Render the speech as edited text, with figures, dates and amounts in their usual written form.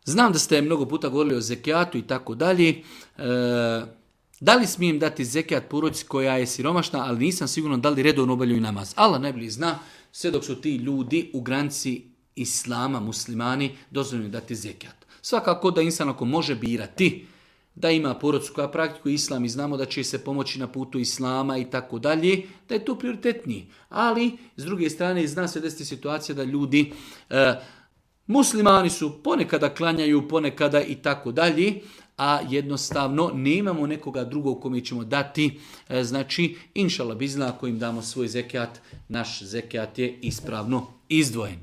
Znam da ste mnogo puta govorili o zekijatu i tako dalje. Da li smijem dati zekijat porodici koja je siromašna, ali nisam siguran da li redovno obavljaju namaz. Allah najbolje zna, sve dok su ti ljudi u granici islama, muslimani, dozvoljeno dati zekijat. Svakako da insan ako može birati da ima porodicu koja praktikuje islam i znamo da će se pomoći na putu islama i tako dalje, da je to prioritetniji. Ali, s druge strane, zna se desiti situacija da ljudi, muslimani su, ponekada klanjaju, ponekada i tako dalje, a jednostavno nemamo nekoga drugog kome ćemo dati. Znači, inšallah bizna, ako im damo svoj zekijat, naš zekijat je ispravno izdvojen.